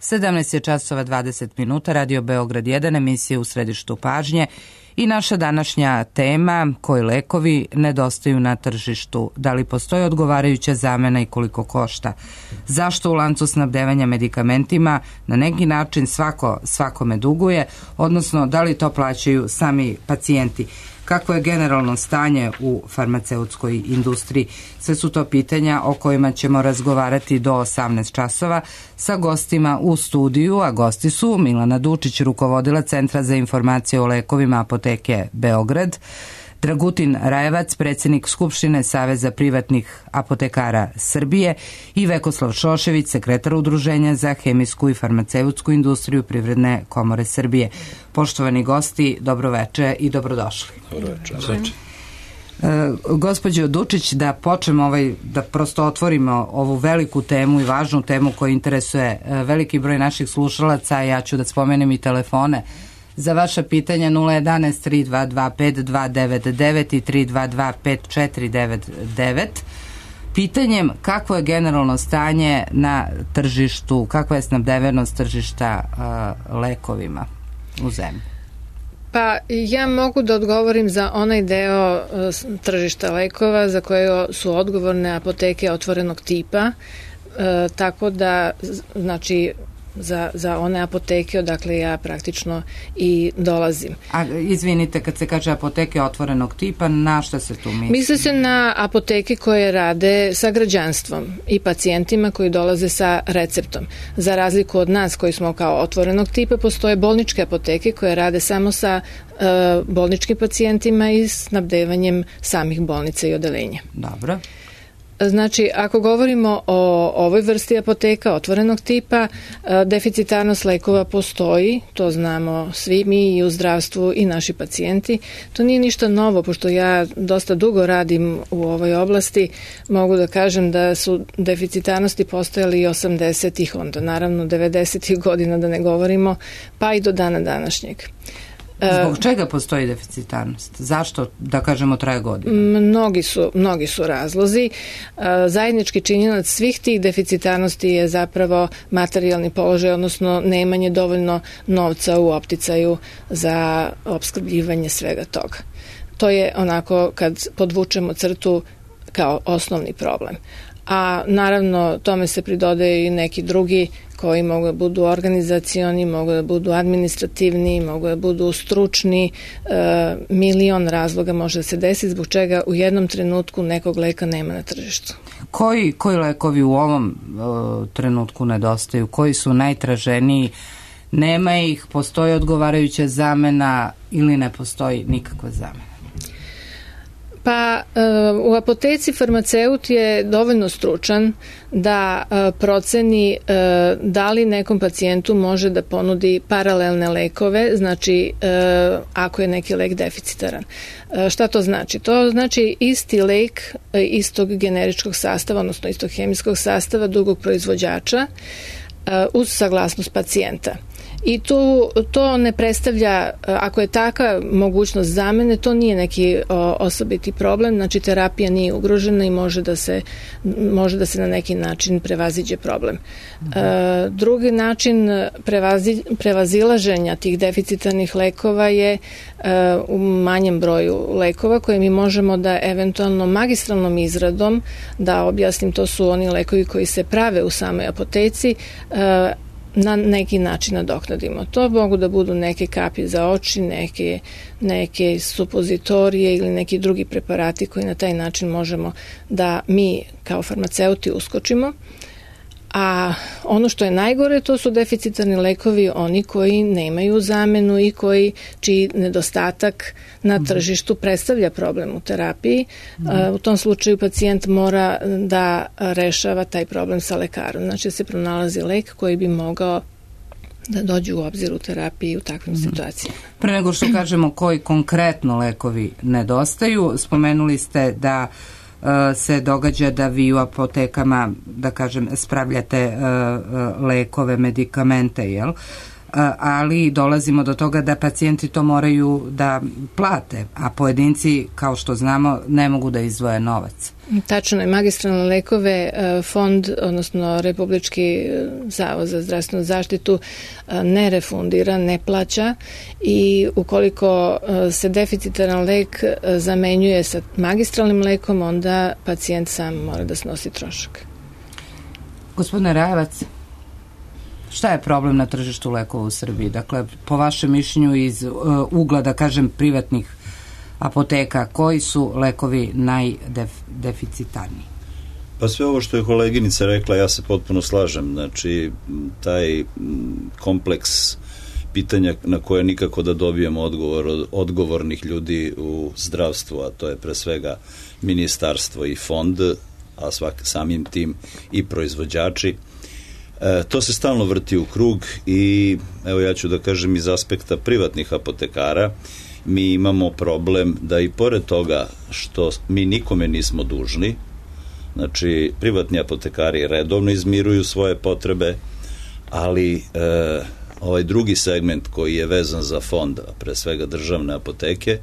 17 je časova 20 minuta, Radio Beograd 1, emisija u središtu pažnje i naša današnja tema: koji lekovi nedostaju na tržištu, da li postoji odgovarajuća zamena i koliko košta, zašto u lancu snabdevanja medikamentima na neki način svakome duguje, odnosno da li to plaćaju sami pacijenti. Kakvo je generalno stanje u farmaceutskoj industriji? Sve su to pitanja o kojima ćemo razgovarati do 18 časova sa gostima u studiju, a gosti su Milana Dučić, rukovodila Centra za informacije o lekovima Apoteke Beograd, Dragutin Rajevac, predsjednik Skupštine Saveza privatnih apotekara Srbije i Vekoslav Šošević, sekretar Udruženja za hemijsku i farmaceutsku industriju Privredne komore Srbije. Poštovani gosti, dobroveče i dobrodošli. Dobroveče. Gospođo Dučić, da počnemo da prosto otvorimo ovu veliku temu i važnu temu koja interesuje veliki broj naših slušalaca. Ja ću da spomenem i telefone za vaša pitanja 011 322 5299 i 322 5499. Pitanjem kakvo je generalno stanje na tržištu, kakva je snabdevenost tržišta lekovima u zemlji? Pa ja mogu da odgovorim za onaj deo tržišta lekova za koje su odgovorne apoteke otvorenog tipa, tako da znači za one apoteke odakle ja praktično i dolazim. A izvinite, kad se kaže apoteke otvorenog tipa, na šta se tu misli? Misli se na apoteke koje rade sa građanstvom i pacijentima koji dolaze sa receptom. Za razliku od nas koji smo kao otvorenog tipa, postoje bolničke apoteke koje rade samo sa bolničkim pacijentima i snabdevanjem samih bolnica i odelenja. Dobro. Znači, ako govorimo o ovoj vrsti apoteka otvorenog tipa, deficitarnost lekova postoji, to znamo svi mi i u zdravstvu i naši pacijenti. To nije ništa novo, pošto ja dosta dugo radim u ovoj oblasti, mogu da kažem da su deficitarnosti postojali i 80-ih, onda naravno 90-ih godina da ne govorimo, pa i do dana današnjeg. Zbog čega postoji deficitarnost? Zašto, da kažemo, traje godina? Mnogi su razlozi. Zajednički činjenac svih tih deficitarnosti je zapravo materijalni položaj, odnosno nemanje dovoljno novca u opticaju za opskrbljivanje svega toga. To je onako kad podvučemo crtu kao osnovni problem. A naravno tome se pridodaju i neki drugi koji mogu da budu organizacioni, mogu da budu administrativni, mogu da budu stručni, milion razloga može da se desi zbog čega u jednom trenutku nekog leka nema na tržištu. Koji lekovi u ovom trenutku nedostaju? Koji su najtraženiji? Nema ih, postoji odgovarajuća zamena ili ne postoji nikakva zamena? Pa u apoteci farmaceut je dovoljno stručan da proceni da li nekom pacijentu može da ponudi paralelne lekove, znači ako je neki lek deficitaran. Šta to znači? To znači isti lek istog generičkog sastava, odnosno istog hemijskog sastava drugog proizvođača uz saglasnost pacijenta. I to ne predstavlja, ako je taka mogućnost zamene, to nije neki osobiti problem, znači terapija nije ugrožena i može da se na neki način prevaziđe problem. Drugi način prevazilaženja tih deficitarnih lekova je u manjem broju lekova koje mi možemo da eventualno magistralnom izradom, da objasnim, to su oni lekovi koji se prave u samoj apoteci, na neki način nadoknadimo. To mogu da budu neke kapi za oči, neke supozitorije ili neki drugi preparati koji na taj način možemo da mi kao farmaceuti uskočimo. A ono što je najgore, to su deficitarni lekovi, oni koji nemaju zamenu i čiji nedostatak na tržištu predstavlja problem u terapiji. U tom slučaju pacijent mora da rešava taj problem sa lekarom. Znači se pronalazi lek koji bi mogao da dođe u obzir u terapiji u takvim situacijama. Pre nego što kažemo koji konkretno lekovi nedostaju, spomenuli ste da se događa da vi u apotekama, da kažem, spravljate lekove, medikamente, jel? ali dolazimo do toga da pacijenti to moraju da plate, a pojedinci, kao što znamo, ne mogu da izdvoje novac. Tačno je, magistralne lekove fond, odnosno Republički zavod za zdravstvenu zaštitu ne refundira, ne plaća i ukoliko se deficitaran lek zamenjuje sa magistralnim lekom, onda pacijent sam mora da snosi trošak. Gospodine Rajevac, šta je problem na tržištu lekova u Srbiji? Dakle, po vašem mišljenju iz ugla, da kažem, privatnih apoteka, koji su lekovi najdeficitarniji? Pa sve ovo što je koleginica rekla, ja se potpuno slažem. Znači, taj kompleks pitanja na koje nikako da dobijemo odgovor od odgovornih ljudi u zdravstvu, a to je pre svega ministarstvo i fond, a samim tim i proizvođači. To se stalno vrti u krug i evo ja ću da kažem iz aspekta privatnih apotekara, mi imamo problem da i pored toga što mi nikome nismo dužni, znači privatni apotekari redovno izmiruju svoje potrebe, ali ovaj drugi segment koji je vezan za fond, a pre svega državne apoteke,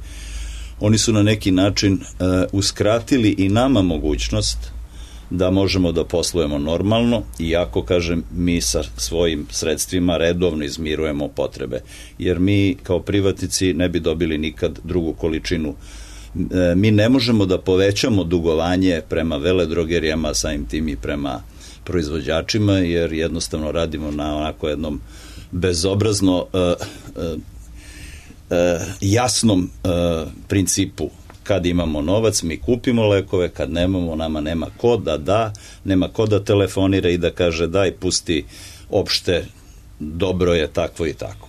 oni su na neki način uskratili i nama mogućnost da možemo da poslujemo normalno, iako, kažem, mi sa svojim sredstvima redovno izmirujemo potrebe, jer mi kao privatnici ne bi dobili nikad drugu količinu. Mi ne možemo da povećamo dugovanje prema veledrogerijama, samim tim i prema proizvođačima, jer jednostavno radimo na onako jednom bezobrazno jasnom principu. Kad imamo novac, mi kupimo lekove, kad nemamo, nama nema ko da, nema ko da telefonira i da kaže daj, pusti opšte, dobro je takvo i tako.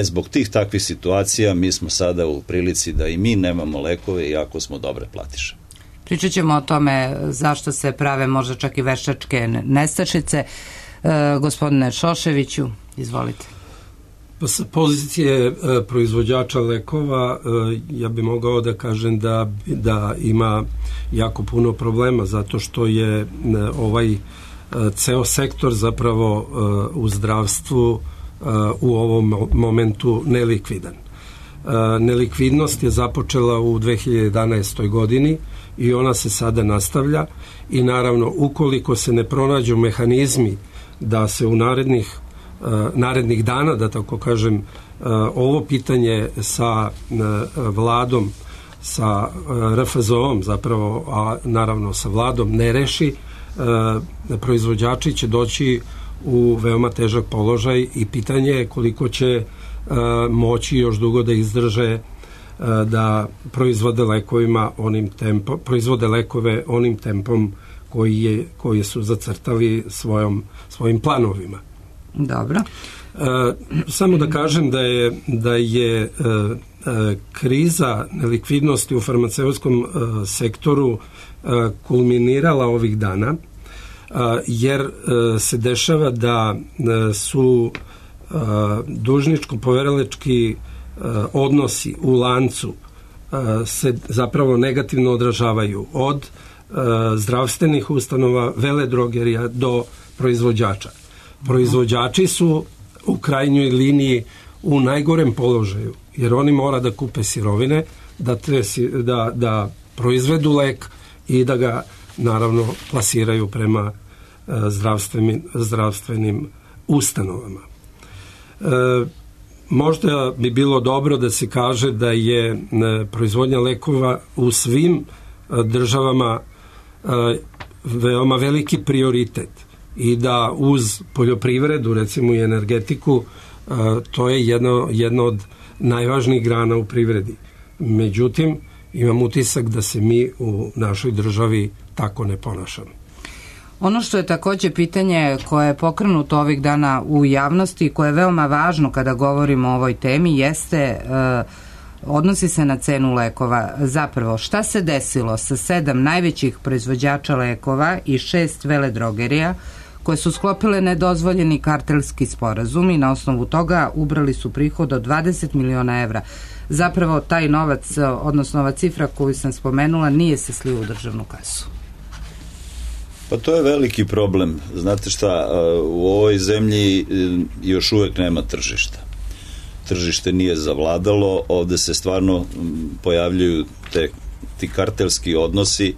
Zbog tih takvih situacija mi smo sada u prilici da i mi nemamo lekove, iako smo dobre platiše. Pričat ćemo o tome zašto se prave možda čak i veštačke nestašice. Gospodine Šoševiću, izvolite. Sa pozicije proizvođača lekova ja bih mogao da kažem da ima jako puno problema, zato što je ovaj ceo sektor zapravo u zdravstvu u ovom momentu nelikvidan. Nelikvidnost je započela u 2011. godini i ona se sada nastavlja i naravno ukoliko se ne pronađu mehanizmi da se u narednih dana, da tako kažem, ovo pitanje sa vladom, sa RFZO-om zapravo, a naravno sa vladom ne reši, proizvođači će doći u veoma težak položaj i pitanje je koliko će moći još dugo da izdrže da proizvode lekove onim tempom koji su zacrtali svojim planovima. Dobro. Samo da kažem da je kriza nelikvidnosti u farmaceutskom sektoru kulminirala ovih dana, jer se dešava da su dužničko-poverilački odnosi u lancu se zapravo negativno odražavaju od zdravstvenih ustanova, veledrogerija do proizvođača. Proizvođači su u krajnjoj liniji u najgorem položaju, jer oni mora da kupe sirovine, da proizvedu lek i da ga naravno plasiraju prema zdravstvenim ustanovama. Možda bi bilo dobro da se kaže da je proizvodnja lekova u svim državama veoma veliki prioritet i da uz poljoprivredu, recimo i energetiku, to je jedna od najvažnijih grana u privredi. Međutim, imam utisak da se mi u našoj državi tako ne ponašamo. Ono što je također pitanje koje je pokrenuto ovih dana u javnosti, koje je veoma važno kada govorimo o ovoj temi, odnosi se na cenu lekova. Zapravo, šta se desilo sa 7 najvećih proizvođača lekova i 6 veledrogerija koje su sklopile nedozvoljeni kartelski sporazum i na osnovu toga ubrali su prihod od 20 miliona evra. Zapravo, taj novac, odnosno ova cifra koju sam spomenula, nije se slio u državnu kasu. Pa to je veliki problem. Znate šta, u ovoj zemlji još uvek nema tržišta. Tržište nije zavladalo, ovde se stvarno pojavljuju ti kartelski odnosi.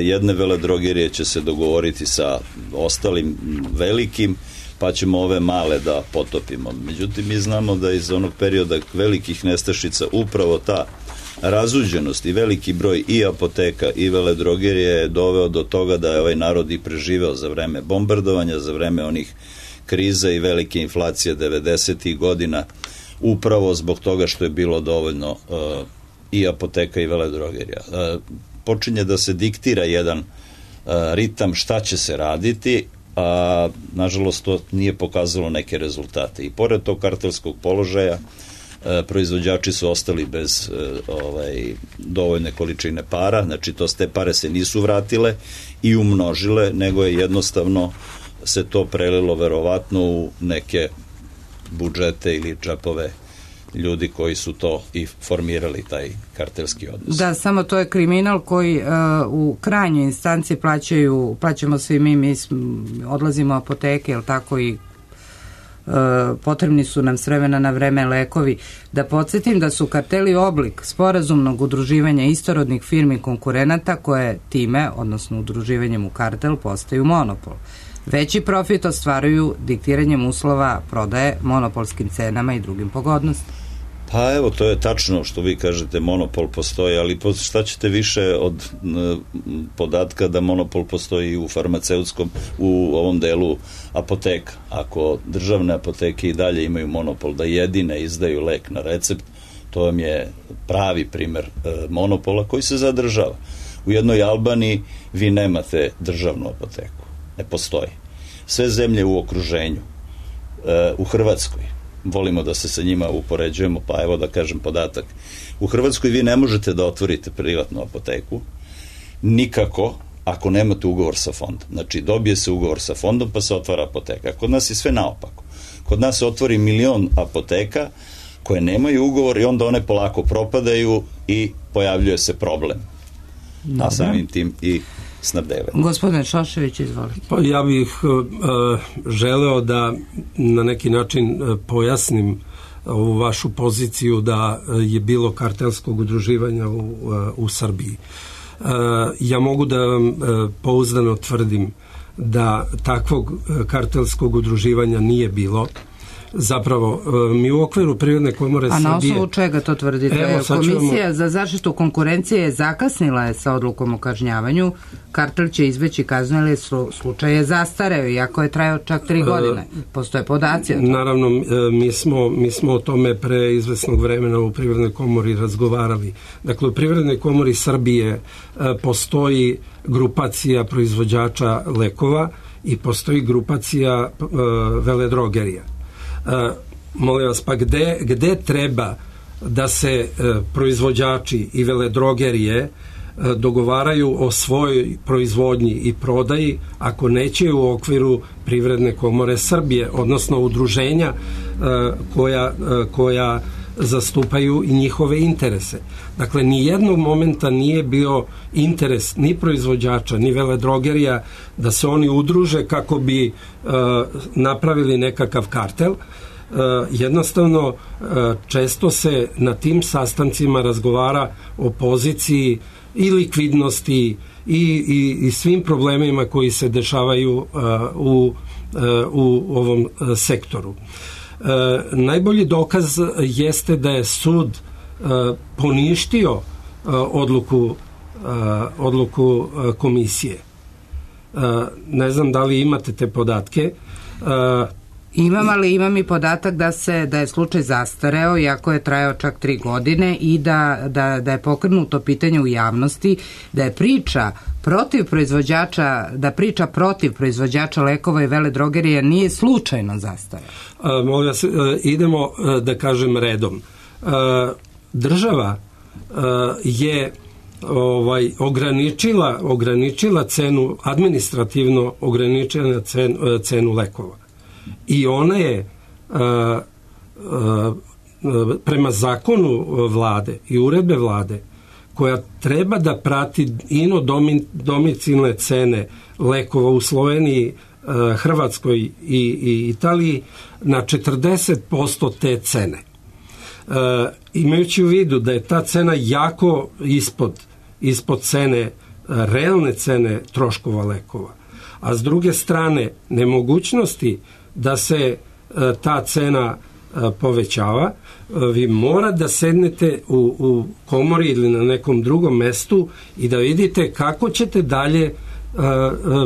Jedne veledrogerije će se dogovoriti sa ostalim velikim, pa ćemo ove male da potopimo. Međutim, mi znamo da iz onog perioda velikih nestašica upravo ta razuđenost i veliki broj i apoteka i veledrogerije je doveo do toga da je ovaj narod i preživeo za vreme bombardovanja, za vreme onih kriza i velike inflacije 90. godina, upravo zbog toga što je bilo dovoljno i apoteka i veledrogerija. Počinje da se diktira jedan ritam šta će se raditi, a nažalost to nije pokazalo neke rezultate. I pored tog kartelskog položaja, proizvođači su ostali bez dovoljne količine para, znači te pare se nisu vratile i umnožile, nego je jednostavno se to prelilo verovatno u neke budžete ili džepove ljudi koji su to i formirali, taj kartelski odnos. Da, samo to je kriminal koji u krajnjoj instanci plaćamo svi mi odlazimo u apoteke, jel tako, i potrebni su nam s vremena na vreme lekovi. Da podsjetim da su karteli oblik sporazumnog udruživanja istorodnih firmi konkurenata koje time, odnosno udruživanjem u kartel, postaju monopol. Veći profit ostvaruju diktiranjem uslova prodaje, monopolskim cenama i drugim pogodnostima. Pa evo, to je tačno što vi kažete, monopol postoji, ali šta ćete više od podatka da monopol postoji u farmaceutskom, u ovom delu apoteka. Ako državne apoteke i dalje imaju monopol da jedine izdaju lek na recept, to vam je pravi primer monopola koji se zadržava. U jednoj Albaniji vi nemate državnu apoteku. Ne postoji. Sve zemlje u okruženju, u Hrvatskoj, volimo da se sa njima upoređujemo, pa evo da kažem podatak. U Hrvatskoj vi ne možete da otvorite privatnu apoteku nikako ako nemate ugovor sa fondom. Znači, dobije se ugovor sa fondom pa se otvara apoteka. Kod nas je sve naopako. Kod nas se otvori 1.000.000 apoteka koje nemaju ugovor i onda one polako propadaju i pojavljuje se problem. A samim tim i snabdevanje. Gospodine Šošević, izvolite. Pa ja bih želeo da na neki način pojasnim ovu vašu poziciju da je bilo kartelskog udruživanja u Srbiji. Ja mogu da vam pouzdano tvrdim da takvog kartelskog udruživanja nije bilo. Zapravo, mi u okviru Privredne komore Srbije... A na osnovu čega to tvrdite? Komisija za zaštitu konkurencije zakasnila je sa odlukom o kažnjavanju. Kartel će izbeći kaznu, ali slučaj je zastareo, iako je trajao čak 3 godine. Postoje podaci o tome. Naravno, mi smo o tome pre izvesnog vremena u Privrednoj komori razgovarali. Dakle, u Privrednoj komori Srbije postoji grupacija proizvođača lekova i postoji grupacija veledrogerija. Molim vas, pa gde treba da se proizvođači i veledrogerije dogovaraju o svojoj proizvodnji i prodaji ako neće u okviru Privredne komore Srbije, odnosno udruženja koja zastupaju i njihove interese. Dakle, ni jednog momenta nije bio interes ni proizvođača, ni veledrogerija da se oni udruže kako bi napravili nekakav kartel. Jednostavno, često se na tim sastancima razgovara o poziciji i likvidnosti i svim problemima koji se dešavaju u ovom sektoru. Najbolji dokaz jeste da je sud poništio odluku komisije. Ne znam da li imate te podatke. Imam, ali imam i podatak da je slučaj zastareo, iako je trajao čak 3 godine i da je pokrenuto pitanje u javnosti, da je priča protiv proizvođača lekova i veledrogerija nije slučajno zastareo. Molim vas, idemo da kažem redom. Država je ograničila cenu, administrativno ograničila cenu lekova. I ona je prema zakonu vlade i uredbe vlade koja treba da prati domicilne cene lekova u Sloveniji, Hrvatskoj i Italiji na 40% te cene. Imajući u vidu da je ta cena jako ispod cene, realne cene troškova lekova, a s druge strane nemogućnosti da se ta cena povećava, vi mora da sednete u komori ili na nekom drugom mestu i da vidite kako ćete dalje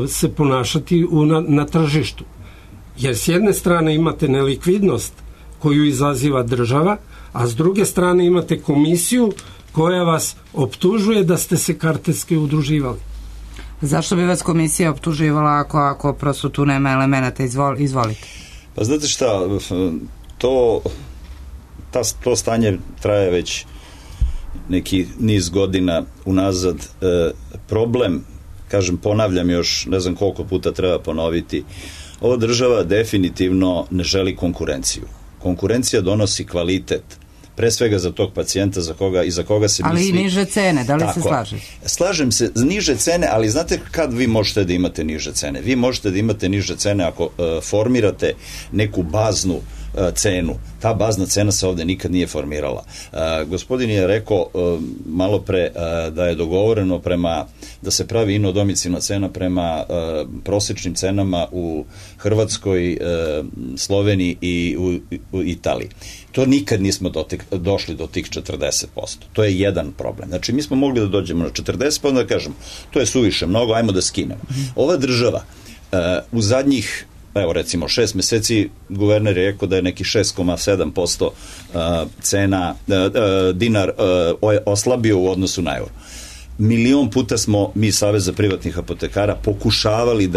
se ponašati na tržištu. Jer s jedne strane imate nelikvidnost koju izaziva država, a s druge strane imate komisiju koja vas optužuje da ste se kartelski udruživali. Zašto bi vas komisija optuživala ako prosto tu nema elemenata? Izvolite. Pa znate šta, to stanje traje već neki niz godina unazad. Problem, kažem, ponavljam još, ne znam koliko puta treba ponoviti, ova država definitivno ne želi konkurenciju. Konkurencija donosi kvalitet, pre svega za tog pacijenta za koga se misli. Ali i niže cene, da li se slažete? Slažem se, niže cene, ali znate kad vi možete da imate niže cene? Vi možete da imate niže cene ako formirate neku baznu cenu. Ta bazna cena se ovde nikad nije formirala. Gospodin je rekao malo pre da je dogovoreno da se pravi inodomicilna cena prema prosečnim cenama u Hrvatskoj, Sloveniji i u Italiji. To nikad nismo došli do tih 40%. To je jedan problem. Znači, mi smo mogli da dođemo na 40%, pa onda da kažemo, to je suviše mnogo, ajmo da skinemo. Ova država u zadnjih, evo recimo 6 meseci, guverner je rekao da je neki 6,7% cena dinar oslabio u odnosu na euro. Milion puta smo mi, Savez za privatnih apotekara, pokušavali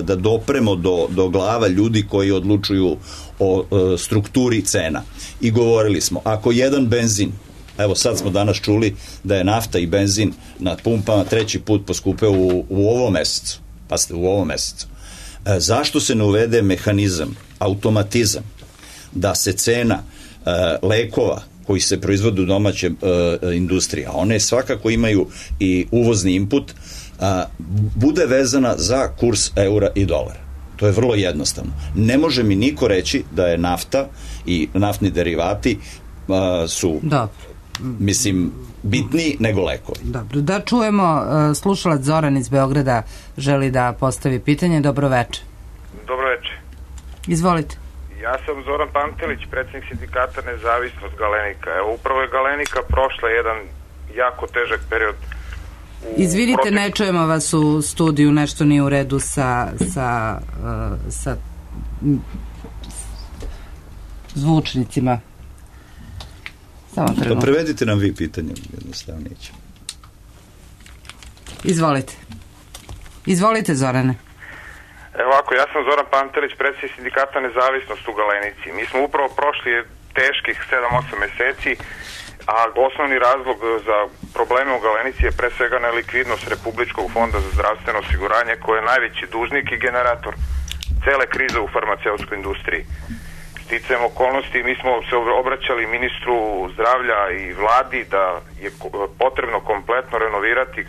da dopremo do glava ljudi koji odlučuju o strukturi cena. I govorili smo, ako jedan benzin, evo sad smo danas čuli da je nafta i benzin na pumpama 3. put poskupeo u ovom mesecu. Pazite, u ovom mesecu. Zašto se ne uvede mehanizam, automatizam, da se cena lekova koji se proizvode u domaće industrije, a one svakako imaju i uvozni input, bude vezana za kurs eura i dolara. To je vrlo jednostavno. Ne može mi niko reći da je nafta i naftni derivati su, mislim, bitniji nego lekovi. Dobro, da čujemo, slušalac Zoran iz Beograda želi da postavi pitanje. Dobro večer. Dobro večer. Izvolite. Ja sam Zoran Pantelić, predsjednik sindikata Nezavisnost Galenika. Evo, upravo je Galenika prošla jedan jako težak period. Izvinite, ne čujemo vas u studiju, nešto nije u redu sa zvučnicima. Samo trenutak. Pa prevedite nam vi pitanje, jednostavnije će. Izvolite, Zorane. Evo ovako, ja sam Zoran Pantelić, predsjednik sindikata Nezavisnost u Galenici. Mi smo upravo prošli teških 7-8 meseci, a osnovni razlog za probleme u Galenici je pre svega nelikvidnost Republičkog fonda za zdravstveno osiguranje, koje je najveći dužnik i generator cele krize u farmaceutskoj industriji. Sticajem okolnosti, mi smo se obraćali ministru zdravlja i vladi da je potrebno kompletno renovirati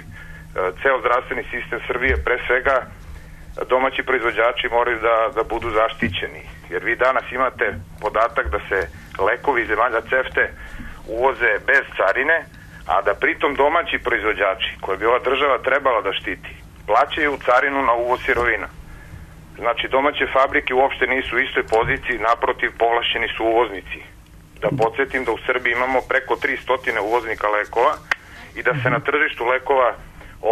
ceo zdravstveni sistem Srbije, pre svega domaći proizvođači moraju da budu zaštićeni, jer vi danas imate podatak da se lekovi iz zemalja CEFTE uvoze bez carine, a da pritom domaći proizvođači, koje bi ova država trebala da štiti, plaćaju carinu na uvoz sirovina. Znači, domaće fabrike uopšte nisu u istoj poziciji, naprotiv, povlašćeni su uvoznici. Da podsjetim da u Srbiji imamo preko 300 uvoznika lekova i da se na tržištu lekova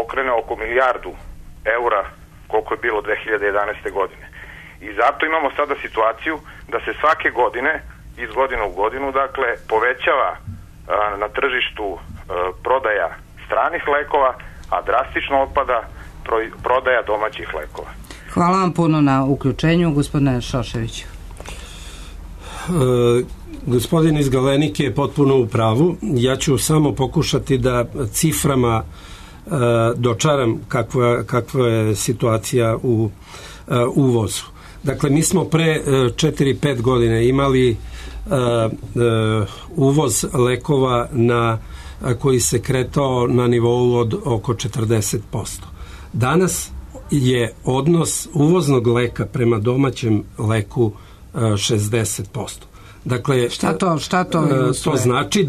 okrene oko milijardu eura, koliko je bilo 2011. godine. I zato imamo sada situaciju da se svake godine, iz godine u godinu, dakle, povećava na tržištu prodaja stranih lekova, a drastično opada prodaja domaćih lekova. Hvala vam puno na uključenju, gospodine Šoševiću. Gospodin iz Galenike je potpuno u pravu. Ja ću samo pokušati da ciframa dočaram kakva je situacija u uvozu. Dakle, mi smo pre 4-5 godine imali uvoz lekova na koji se kretao na nivou od oko 40%. Danas je odnos uvoznog leka prema domaćem leku 60%. Dakle, šta to to znači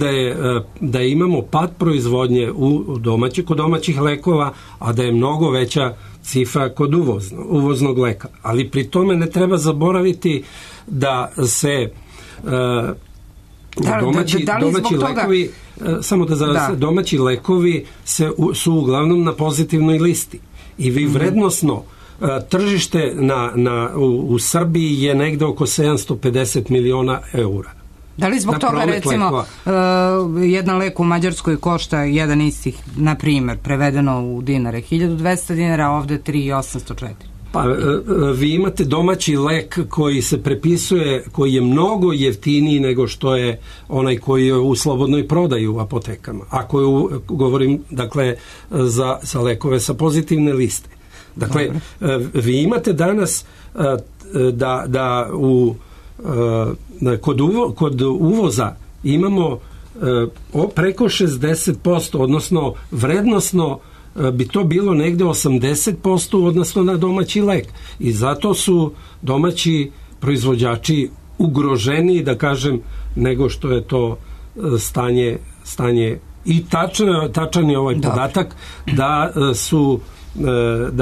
da imamo pad proizvodnje kod domaćih lekova, a da je mnogo veća cifra kod uvoznog leka. Ali pri tome ne treba zaboraviti da se domaći lekovi, samo domaći lekovi su uglavnom na pozitivnoj listi. I vi vrednosno tržište u Srbiji je negde oko 750 miliona eura. Da li zbog toga, recimo, jedan lek u Mađarskoj košta jedan istih, na primjer, prevedeno u dinare, 1200 dinara, a ovde 3804? Pa vi imate domaći lek koji se prepisuje, koji je mnogo jeftiniji nego što je onaj koji je u slobodnoj prodaji u apotekama. Ako govorim, dakle, za lekove sa pozitivne liste. Dakle, vi imate danas da kod uvoza imamo preko 60%, odnosno vrednosno bi to bilo negde 80% odnosno na domaći lek. I zato su domaći proizvođači ugroženiji, da kažem, nego što je to stanje. I tačan je ovaj podatak da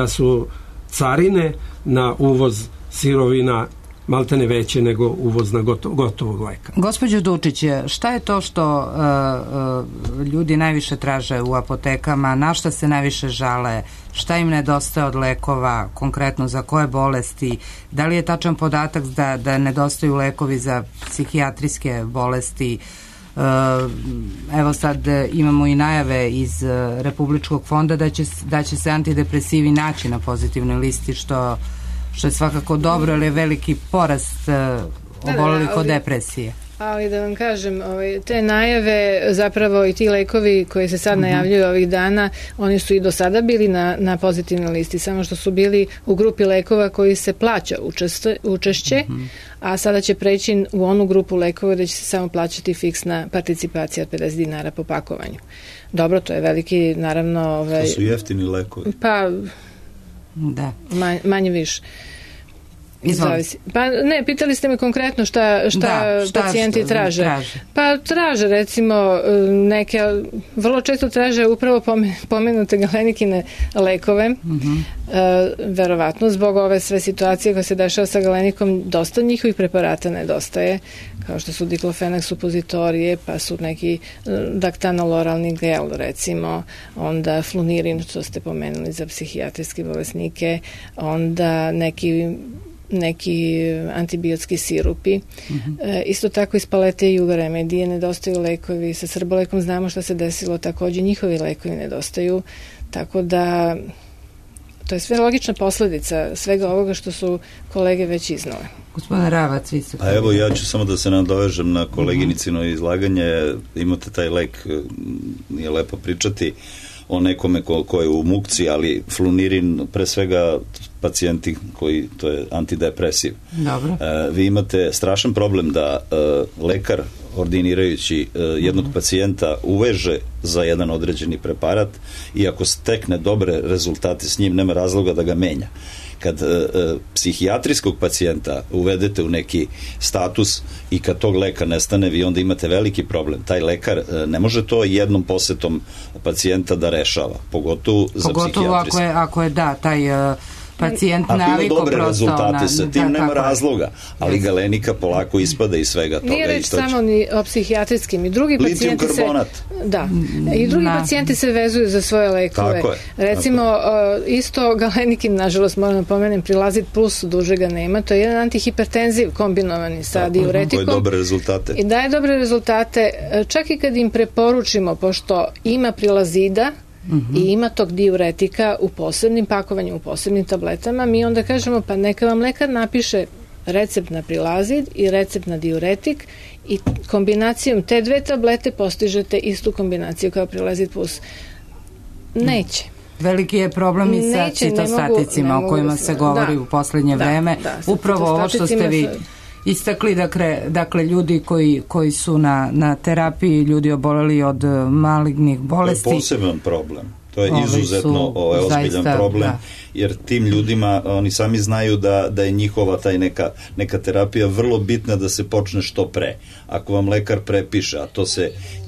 su carine na uvoz sirovina maltene veće nego uvoz na gotovog leka. Gospođo Dučić, šta je to što ljudi najviše traže u apotekama, na šta se najviše žale, šta im nedostaje od lekova, konkretno za koje bolesti, da li je tačan podatak da nedostaju lekovi za psihijatrijske bolesti? Evo sad imamo i najave iz Republičkog fonda da će se antidepresivi naći na pozitivnoj listi, što je svakako dobro, ali je veliki porast obolelih od depresije. Ali da vam kažem, te najave, zapravo i ti lekovi koji se sad najavljuju ovih dana, oni su i do sada bili na pozitivnoj listi, samo što su bili u grupi lekova koji se plaća učešće, a sada će preći u onu grupu lekova da će se samo plaćati fiksna participacija od 50 dinara po pakovanju. Dobro, to je veliki, naravno... To su jeftini lekovi. Pa, da. Manje više. Pa ne, pitali ste me konkretno šta pacijenti traže. Pa traže, recimo, vrlo često traže upravo pomenute galenikine lekove, verovatno zbog ove sve situacije koje se dešava sa galenikom, dosta njihovih preparata nedostaje, kao što su diklofenak supozitorije, pa su neki daktanoloralni gel, recimo, onda flunirin, što ste pomenuli za psihijatrijske bolesnike, onda neki antibiotski sirupi. Isto tako iz palete Juga Remedije nedostaju lekovi. Sa Srbolekom znamo šta se desilo, takođe njihovi lekovi nedostaju. Tako da to je sve logična posledica svega ovoga što su kolege već iznale. Gospodin Ravac, vi ste... A evo, ja ću samo da se nadovežem na koleginicino izlaganje. Imate taj lek, nije lepo pričati o nekome ko je u mukci, ali flunirin, pre svega pacijenti koji, to je antidepresiv. Dobro. Vi imate strašan problem da lekar ordinirajući jednog pacijenta uveže za jedan određeni preparat i ako stekne dobre rezultate s njim, nema razloga da ga menja. Kad psihijatrijskog pacijenta uvedete u neki status i kad tog leka nestane, vi onda imate veliki problem. Taj lekar ne može to jednom posetom pacijenta da rešava, pogotovo za psihijatrijski. Pogotovo ako je taj pacijent naviko dobre rezultate sa tim, nema razloga, ali galenika polako ispada iz svega toga. Nije reč samo ni o psihijatrijskim, i drugi pacijenti se... Da, i drugi pacijenti se vezuju za svoje lekove. Recimo, isto galenikin, nažalost, moram pomenem, Prilazid plus, duže ga nema, to je jedan antihipertenziv kombinovani sa diuretikom. Koje dobre rezultate. I daje dobre rezultate, čak i kad im preporučimo, pošto ima Prilazida, i ima tog diuretika u posebnim pakovanjima, u posebnim tabletama, mi onda kažemo, pa neka vam lekar napiše recept na Prilazid i recept na diuretik i kombinacijom te dve tablete postižete istu kombinaciju kao Prilazid plus. Neće. Veliki je problem i sa citostaticima o kojima se govori u poslednje vreme. Upravo ovo što ste vi istakli, dakle ljudi koji su na terapiji, ljudi oboleli od malignih bolesti. To je poseban problem. To je izuzetno ozbiljan problem, jer tim ljudima, oni sami znaju da je njihova taj neka terapija vrlo bitna da se počne što pre. Ako vam lekar prepiše, a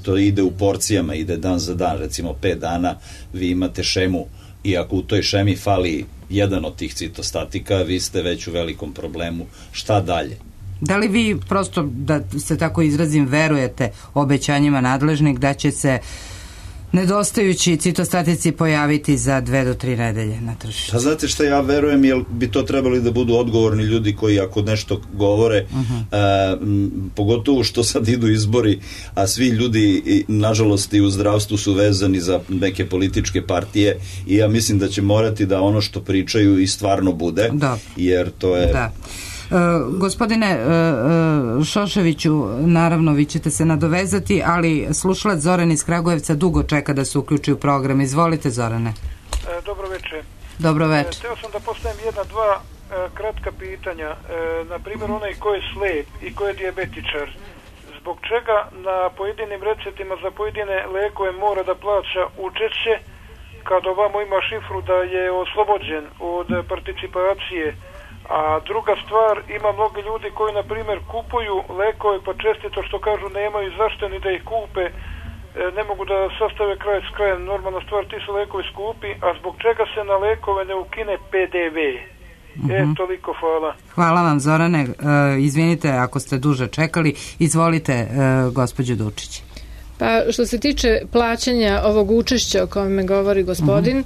to ide u porcijama, ide dan za dan, recimo 5 dana, vi imate šemu, i ako u toj šemi fali jedan od tih citostatika, vi ste već u velikom problemu. Šta dalje? Da li vi, prosto da se tako izrazim, verujete obećanjima nadležnih da će se nedostajući citostatici pojaviti za 2 do 3 nedelje na tržištu? Pa znate šta ja verujem, jer bi to trebali da budu odgovorni ljudi koji ako nešto govore, pogotovo što sad idu izbori, a svi ljudi nažalost i u zdravstvu su vezani za neke političke partije, i ja mislim da će morati da ono što pričaju i stvarno bude, jer to je... Da. Gospodine Šoševiću, naravno vi ćete se nadovezati, ali slušalac Zoran iz Kragujevca dugo čeka da se uključi u program. Izvolite, Zorane. Dobro večer. Dobro večer. Hteo sam da postavim 1-2 kratka pitanja. Na primjer, onaj ko je slep i ko je dijabetičar, zbog čega na pojedinim receptima za pojedine lekove mora da plaća učešće, kad ovamo ima šifru da je oslobođen od participacije? A druga stvar, ima mnogi ljudi koji, na primjer, kupuju lekove, pa čestito što kažu nemaju zašto ni da ih kupe, ne mogu da sastave kraj s krajem. Normalna stvar, ti su lekovi skupi, a zbog čega se na lekove ne ukine PDV? Toliko, hvala. Hvala vam, Zorane. Izvinite ako ste duže čekali. Izvolite, gospođo Dučić. Pa što se tiče plaćanja ovog učešća o kome govori gospodin,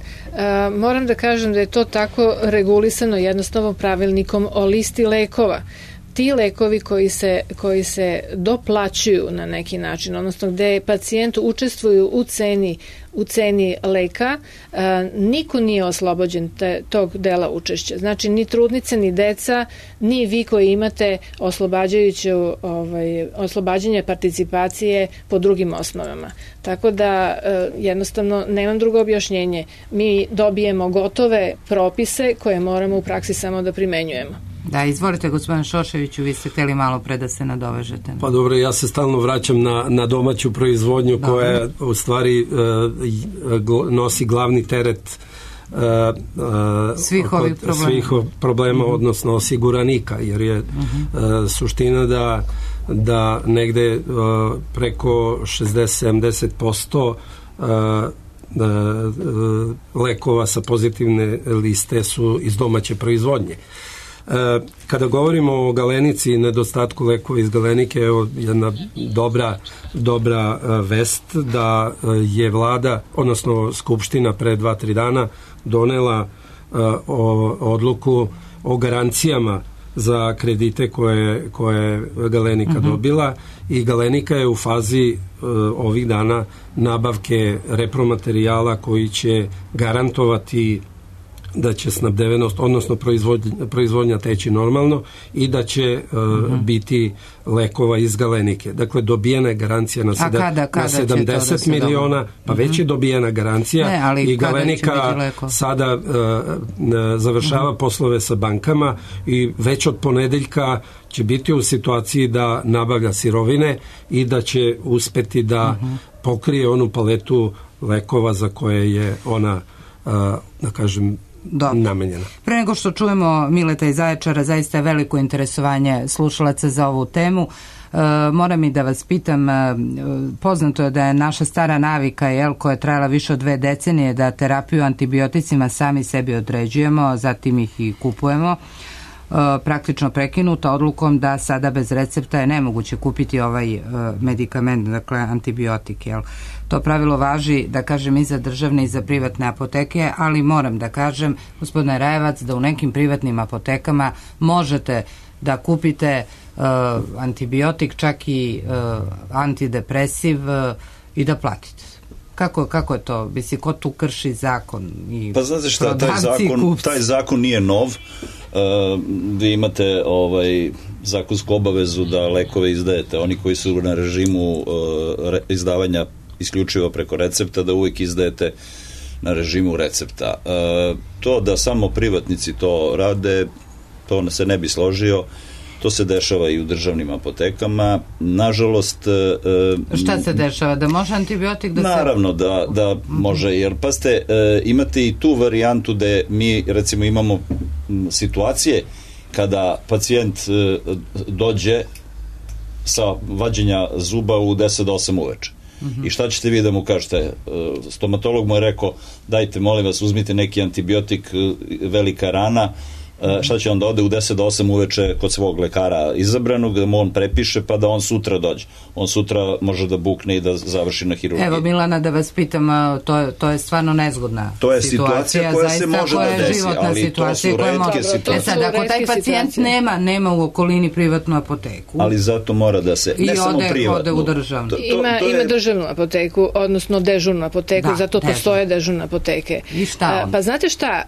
moram da kažem da je to tako regulisano jednostavno pravilnikom o listi lekova. Ti lekovi koji se doplaćuju na neki način, odnosno gde pacijent učestvuju u ceni leka, niko nije oslobođen tog dela učešća. Znači, ni trudnice, ni deca, ni vi koji imate oslobađanje participacije po drugim osnovama. Tako da, jednostavno, nemam drugo objašnjenje. Mi dobijemo gotove propise koje moramo u praksi samo da primenjujemo. Da, izvolite, gospodine Šoševiću, vi ste hteli malo pre da se nadovežete. Pa dobro, ja se stalno vraćam na domaću proizvodnju koja u stvari nosi glavni teret svih ovih problema, odnosno osiguranika, jer je suština da negde preko 60-70% lekova sa pozitivne liste su iz domaće proizvodnje. Kada govorimo o Galenici i nedostatku lekova iz Galenike, evo jedna dobra vest da je vlada, odnosno Skupština pre 2-3 dana donela odluku o garancijama za kredite koje je Galenika dobila, i Galenika je u fazi ovih dana nabavke repromaterijala koji će garantovati da će snabdevenost, odnosno proizvodnja teći normalno i da će biti lekova iz Galenike. Dakle, dobijena je garancija na 70 miliona, pa već je dobijena garancija i Galenika sada završava poslove sa bankama i već od ponedeljka će biti u situaciji da nabavlja sirovine i da će uspeti da pokrije onu paletu lekova za koje je ona, da kažem, namenjena. Pre nego što čujemo Mileta iz Zaječara, zaista je veliko interesovanje slušalaca za ovu temu. Moram i da vas pitam, poznato je da je naša stara navika, koja je trajala više od 2 decenije, da terapiju antibioticima sami sebi određujemo, zatim ih i kupujemo, praktično prekinuta odlukom da sada bez recepta je nemoguće kupiti ovaj medikament, dakle antibiotik. To pravilo važi, da kažem, i za državne i za privatne apoteke, ali moram da kažem, gospodine Rajevac, da u nekim privatnim apotekama možete da kupite antibiotik, čak i antidepresiv, i da platite. Kako je to? Mislim, ko tu krši zakon? Pa znate šta, taj zakon nije nov. Vi imate zakonsku obavezu da lekove izdajete. Oni koji su na režimu izdavanja isključivo preko recepta, da uvijek izdajete na režimu recepta. To da samo privatnici to rade, to se ne bi složio. To se dešava i u državnim apotekama. Nažalost... Šta se dešava? Da može antibiotik da naravno da može, jer pazite, imate i tu varijantu da mi recimo imamo situacije kada pacijent dođe sa vađenja zuba u 10 do 8 uveče. I šta ćete vi da mu kažete? Stomatolog mu je rekao, dajte, molim vas, uzmite neki antibiotik, velika rana. Šta će on da ode u 10 do 8 uveče kod svog lekara izabranog, da mu on prepiše, pa da on sutra dođe. On sutra može da bukne i da završi na hirurgiji. Evo, Milana, da vas pitam, to je stvarno nezgodna to je situacija koja se može da desi, ali to su retke situacije. Sad, ako taj pacijent nema u okolini privatnu apoteku, ali zato mora da se, ne samo privatnu, ode u državnu. Ima državnu apoteku, odnosno dežurnu apoteku, zato postoje dežurne apoteke. I šta on? Pa znate šta,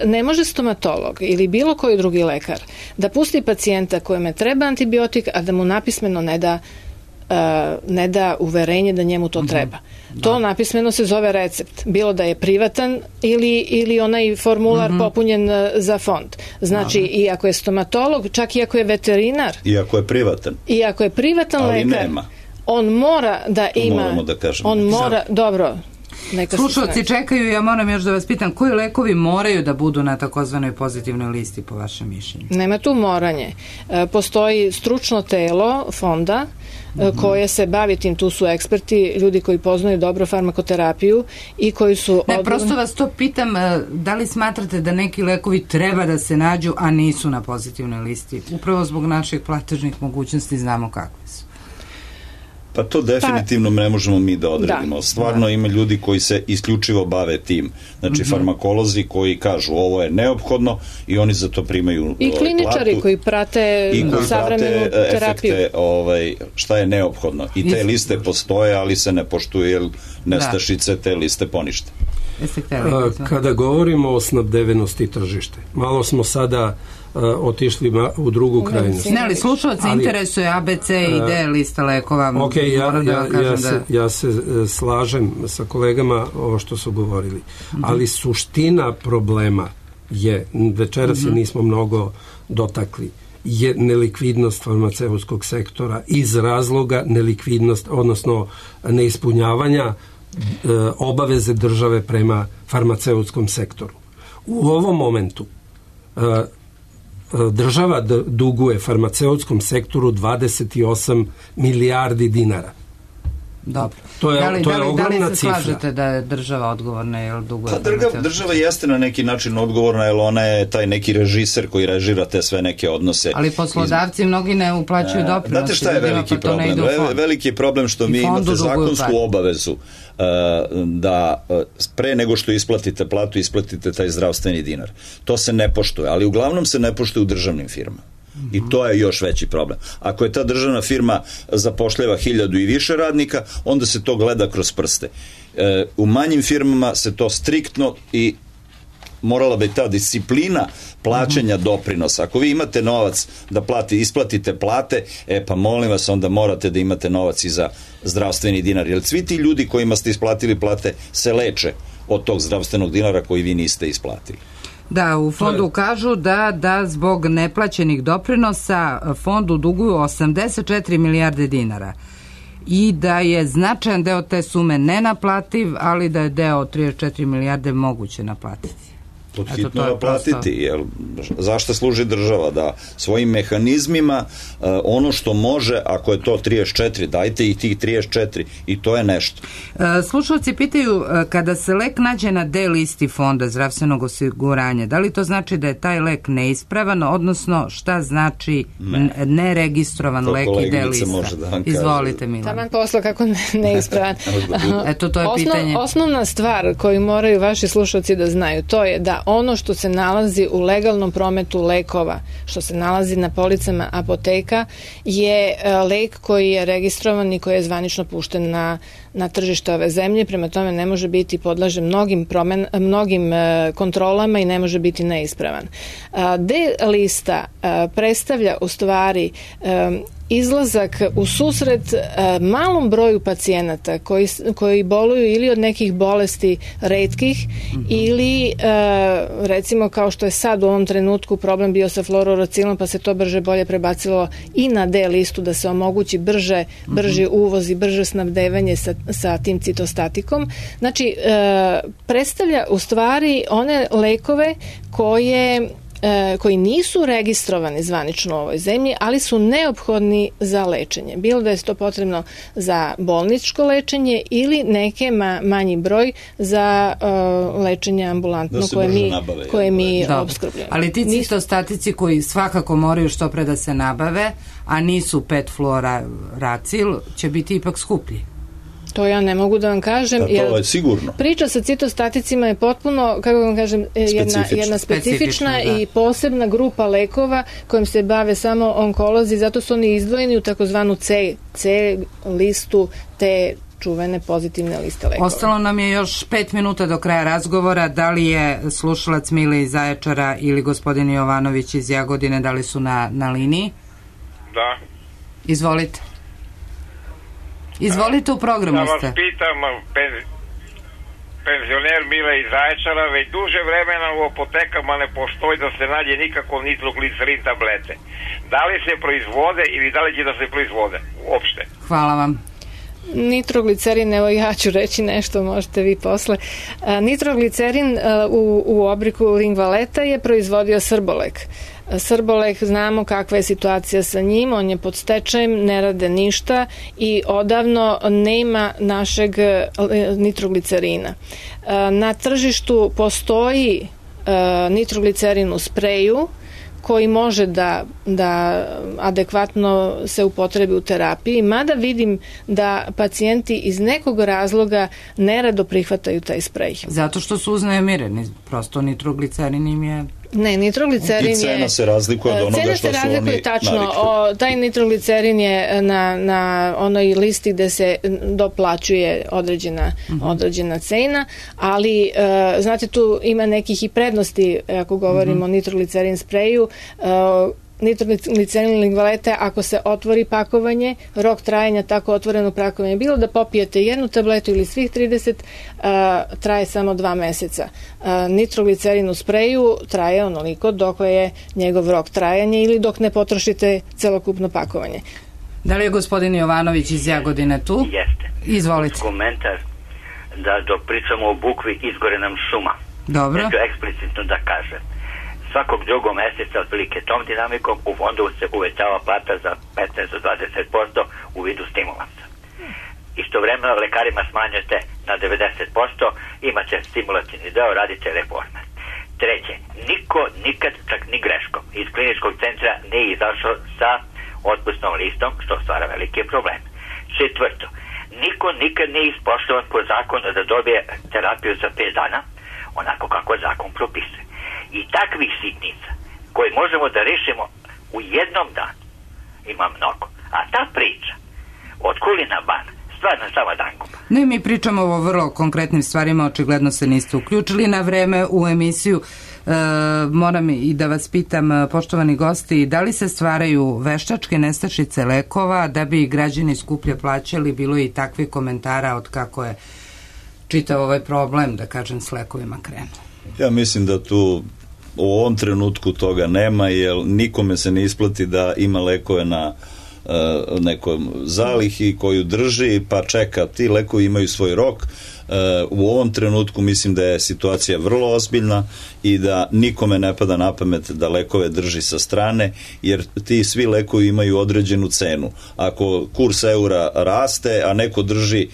ne može stomatolog ili bilo koji drugi lekar da pusti pacijenta kojeme treba antibiotik, a da mu napismeno ne da uverenje da njemu to treba. To napismeno se zove recept. Bilo da je privatan ili onaj formular popunjen za fond. Znači, i ako je stomatolog, čak i ako je veterinar, i ako je privatan lekar, nema. On mora da ima... Moramo da kažemo. On mora, dobro... Slušalci čekaju, ja moram još da vas pitam, koji lekovi moraju da budu na takozvanoj pozitivnoj listi po vašem mišljenju? Nema tu moranje. Postoji stručno telo fonda koje se bavi tim, tu su eksperti, ljudi koji poznaju dobro farmakoterapiju i koji su... prosto vas to pitam, da li smatrate da neki lekovi treba da se nađu, a nisu na pozitivnoj listi? Upravo zbog naših platežnih mogućnosti znamo kakve su. Pa to definitivno ne možemo mi da odredimo. Stvarno ima ljudi koji se isključivo bave tim. Znači farmakolozi koji kažu ovo je neophodno i oni za to primaju i kliničari platu, koji prate savremenu terapiju. Efekte, šta je neophodno. I te liste postoje, ali se ne poštuju, jer nestašice te liste ponište. Kada govorimo o snabdevenosti tržište, malo smo sada otišli u drugu krajnost. Ne, ali slušalce interesuje ABC i D lista lekova. Ok, ja se slažem sa kolegama ovo što su govorili. Ali suština problema je, večeras se nismo mnogo dotakli, je nelikvidnost farmaceutskog sektora iz razloga nelikvidnost, odnosno neispunjavanja obaveze države prema farmaceutskom sektoru. U ovom momentu država duguje farmaceutskom sektoru 28 milijardi dinara. Dobro. To je ogromna cifra. Da li se slažete da je država odgovorna jer duguje? Pa država jeste na neki način odgovorna, jer ona je taj neki režiser koji režira te sve neke odnose. Ali poslodavci mnogi ne uplaćuju doprinose. Znate šta je veliki problem? Veliki je problem što mi imate zakonsku obavezu da pre nego što isplatite platu, isplatite taj zdravstveni dinar. To se ne poštuje, ali uglavnom se ne poštuje u državnim firmama. I to je još veći problem. Ako je ta državna firma zapošljava 1000 i više radnika, onda se to gleda kroz prste. U manjim firmama se to striktno i morala bi ta disciplina plaćanja doprinosa. Ako vi imate novac da isplatite plate, pa molim vas, onda morate da imate novac i za zdravstveni dinar. Jer svi ti ljudi kojima ste isplatili plate se leče od tog zdravstvenog dinara koji vi niste isplatili. Da, u fondu kažu da zbog neplaćenih doprinosa fondu duguju 84 milijarde dinara i da je značajan deo te sume nenaplativ, ali da je deo 34 milijarde moguće naplatiti. Podhitno naplatiti, jer zašto služi država? Da svojim mehanizmima ono što može, ako je to 34, dajte i tih 34 i to je nešto. Slušalci pitaju, kada se lek nađe na D listi fonda zdravstvenog osiguranja, da li to znači da je taj lek neispravan, odnosno šta znači neregistrovan lek i D lista? Izvolite, Milan. Taman posla kako neispravan. Eto, to je pitanje. Osnovna stvar koju moraju vaši slušalci da znaju, to je da ono što se nalazi u legalnom prometu lekova, što se nalazi na policama apoteka, je lek koji je registrovan i koji je zvanično pušten na tržište ove zemlje, prema tome ne može biti podlažen mnogim kontrolama i ne može biti neispravan. D lista predstavlja u stvari izlazak u susret malom broju pacijenata koji boluju ili od nekih bolesti retkih ili recimo kao što je sad u ovom trenutku problem bio sa fluorouracilom, pa se to brže bolje prebacilo i na D listu da se omogući brži uvoz i brže snabdevanje sa tim citostatikom. Znači, predstavlja u stvari one lekove koji nisu registrovani zvanično u ovoj zemlji, ali su neophodni za lečenje. Bilo da je to potrebno za bolničko lečenje ili neke manji broj za lečenje ambulantno koje mi opskrbljujemo. Ali ti citostatici koji svakako moraju što pre da se nabave, a nisu 5-fluoracil, će biti ipak skuplji. To ja ne mogu da vam kažem. To je sigurno. Priča sa citostaticima je potpuno, kako vam kažem, jedna specifična i posebna grupa lekova kojim se bave samo onkolozi, zato su oni izdvojeni u takozvanu C listu te čuvene pozitivne liste lekova. Ostalo nam je još 5 minuta do kraja razgovora. Da li je slušalac Mile iz Zaječara ili gospodin Jovanović iz Jagodine, da li su na liniji? Da. Izvolite. Izvolite, u programu ste. Da vas pitam, penzioner Mile iz Zaječara, već duže vremena u apotekama ne postoji da se nađe nikako nitroglicerin tablete. Da li se proizvode ili da li će da se proizvode uopšte? Hvala vam. Nitroglicerin, evo ja ću reći nešto, možete vi posle. Nitroglicerin u obliku Lingvaleta je proizvodio Srbolek. Srbolek, znamo kakva je situacija sa njim, on je pod stečajem, ne rade ništa i odavno nema našeg nitroglicerina. Na tržištu postoji nitroglicerin u spreju koji može da adekvatno se upotrebi u terapiji, mada vidim da pacijenti iz nekog razloga nerado prihvataju taj sprej. Zato što su uznemireni, prosto nitroglicerin im je... Ne, nitroglicerin je... I cena se razlikuje od onoga što su oni tačno. Taj nitroglicerin je na onoj listi gde se doplaćuje određena cena, ali znate, tu ima nekih i prednosti ako govorimo o nitroglicerin spreju. Nitroglicerin Lingvalete, ako se otvori pakovanje, rok trajanja tako otvoreno pakovanje, bilo da popijete jednu tabletu ili svih 30, traje samo 2 meseca. Nitroglicerin u spreju traje onoliko dok je njegov rok trajanja ili dok ne potrošite celokupno pakovanje. Da li je gospodin Jovanović iz Jagodine tu? Jeste. Izvolite. Komentar da dok pričamo o bukvi izgore nam šuma. Dobro. Ja ću eksplicitno da kažem. Svakog drugog meseca otprilike tom dinamikom u fondu se uvećava plata za 15-20% u vidu stimulansa. Istovremeno lekarima smanjujete na 90%, imat će stimulativni deo, radit će reforme. Treće, niko nikad, čak ni greškom, iz kliničkog centra nije izašao sa otpusnom listom, što stvara velike probleme. Četvrto, niko nikad nije ispoštovan po zakonu da dobije terapiju za 5 dana, onako kako zakon propisuje. I takvih sitnica koje možemo da rešimo u jednom danu ima mnogo. A ta priča od Kulina Bana stvarno sama danguba. Ne, mi pričamo o vrlo konkretnim stvarima, očigledno se niste uključili na vreme u emisiju. Moram i da vas pitam, poštovani gosti, da li se stvaraju veštačke nestašice lekova da bi građani skuplje plaćali? Bilo je i takvih komentara od kako je čitav ovaj problem, da kažem, s lekovima krenuo. Ja mislim da tu u ovom trenutku toga nema, jer nikome se ne isplati da ima lekove na nekom zalihi koju drži pa čeka. Ti lekovi imaju svoj rok. U ovom trenutku mislim da je situacija vrlo ozbiljna i da nikome ne pada na pamet da lekove drži sa strane, jer ti svi lekovi imaju određenu cenu. Ako kurs eura raste, a neko drži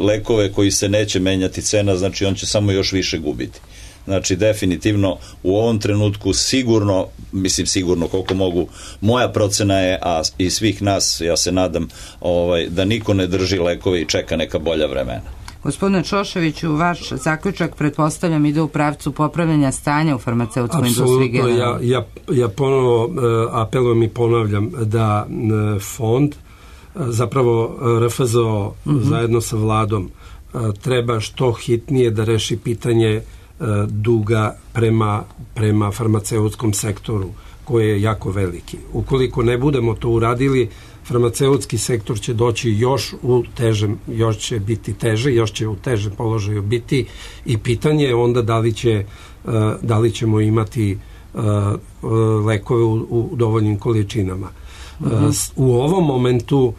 lekove koji se neće menjati cena, znači on će samo još više gubiti. Znači, definitivno u ovom trenutku sigurno koliko mogu, moja procena je, a i svih nas, ja se nadam, da niko ne drži lekove i čeka neka bolja vremena. Gospodine Čoševiću, vaš zaključak, pretpostavljam, ide u pravcu popravljanja stanja u farmaceutskoj industriji. Apsolutno, ja ponovo apelujem i ponavljam da fond, zapravo RFZO zajedno sa vladom, treba što hitnije da reši pitanje duga prema farmaceutskom sektoru. koji je jako veliki. Ukoliko ne budemo to uradili, farmaceutski sektor će doći još će biti teže, još će u težem položaju biti i pitanje je onda da li ćemo imati lekove u dovoljnim količinama. U ovom momentu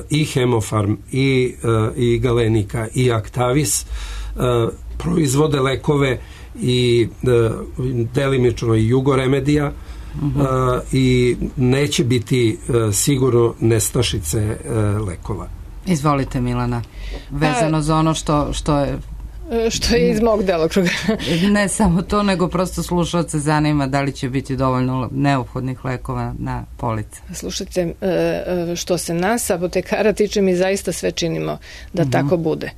i Hemofarm i Galenika i Actavis proizvode lekove i delimično i Jugoremedija i neće biti sigurno nestašice lekova. Izvolite, Milana, vezano za ono što je iz mog delokruga. Ne samo to, nego prosto slušalce zanima da li će biti dovoljno neophodnih lekova na polici. Slušajte, što se nas apotekara tiče, mi zaista sve činimo da tako bude.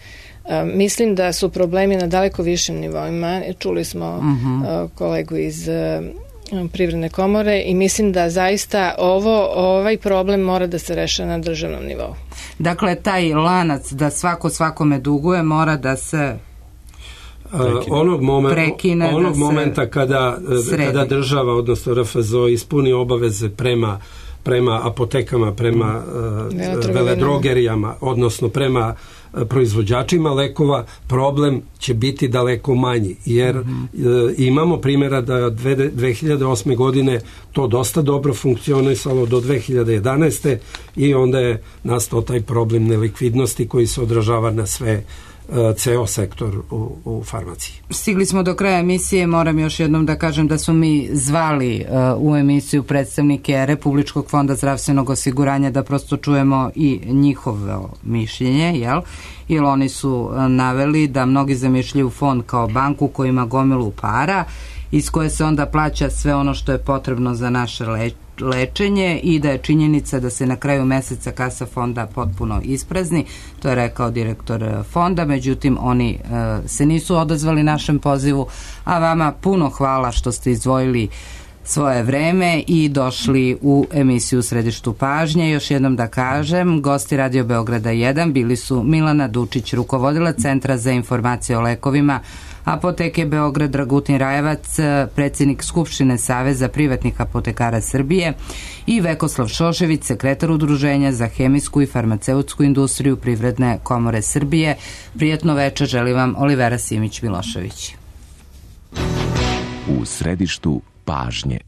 Mislim da su problemi na daleko višim nivoima. Čuli smo kolegu iz Privredne komore i mislim da zaista ovaj problem mora da se reše na državnom nivou. Dakle, taj lanac da svako svakome duguje mora da se onog momenta kada država, odnosno RFZO, ispuni obaveze prema apotekama, prema veledrogerijama, odnosno prema proizvođačima lekova, problem će biti daleko manji, jer imamo primjera da 2008. godine to dosta dobro funkcionisalo do 2011. i onda je nastao taj problem nelikvidnosti koji se odražava na ceo sektor u farmaciji. Stigli smo do kraja emisije, moram još jednom da kažem da smo mi zvali u emisiju predstavnike Republičkog fonda zdravstvenog osiguranja da prosto čujemo i njihovo mišljenje, jer oni su naveli da mnogi zamišljaju fond kao banku koja ima gomilu para iz koje se onda plaća sve ono što je potrebno za naše lečenje i da je činjenica da se na kraju meseca kasa fonda potpuno isprazni. To je rekao direktor fonda, međutim oni se nisu odazvali našem pozivu, a vama puno hvala što ste izdvojili svoje vreme i došli u emisiju U središtu pažnje. Još jednom da kažem, gosti Radio Beograda 1 bili su Milana Dučić, rukovodilac Centra za informacije o lekovima Apoteke Beograd, Dragutin Rajevac, predsjednik Skupštine Saveza privatnih apotekara Srbije, i Vekoslav Šošević, sekretar Udruženja za hemijsku i farmaceutsku industriju Privredne komore Srbije. Prijatno večer želi vam Olivera Simić-Milošević. U središtu pažnje.